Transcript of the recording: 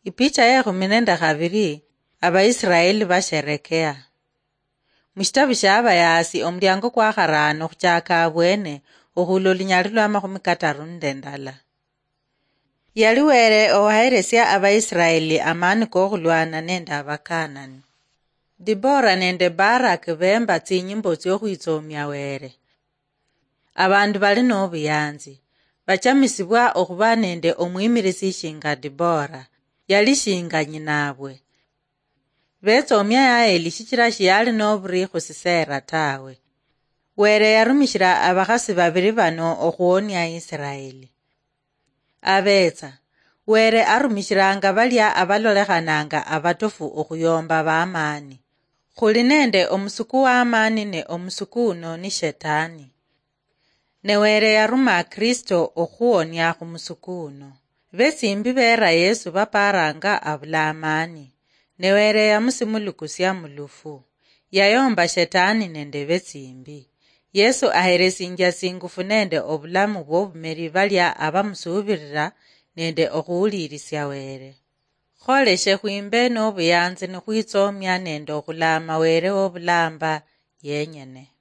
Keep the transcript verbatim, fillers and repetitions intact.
Ipicha yekhumi nende khabiri. Abaisiraeli basherekea. Mushitabu shia Abayaasi, omuliango kwa kharano khuchaka abwene, okhula olunyali lwa makhumi kataru nende ndala. Yali Were owaheresia Abaisiraeli amani kokhulwana nende Abakanani. Dibora nende Barak bemba tsinyimbo tsiokhwitsomia Were. Abandu bali nobuyanzi bachamisibwa okhuba nende omwimirisi shinga Dibora, yali shinga nyinabwe. Betsomia Yaeli shichira shiyali noburi khusisera tawe. Were yarumishira abakhasi babiri bano okhuonia Isiraeli. Abetsa, Were arumishiranga balia abalolekhananga abatofu okhuyomba bamani. Khuli nende omusuku wamani ne omusuku uno ni Shetani. Ne Were yaruma Kristo okhuonia khumusuku uno. Betsimbi bera Yesu baparanga abula amani. Ne Were yamusimulukusia mulufu. Yayomba Shetani nende betsimbi. Yesu aheresinjia tsingufu nende obulamu bwobumeri balia abamusubirira nende okhuwulirisia Were. Kholeshe khwimbe nobuyanzi nikhwitsomia nende okhulama Were wobulamba yenyene.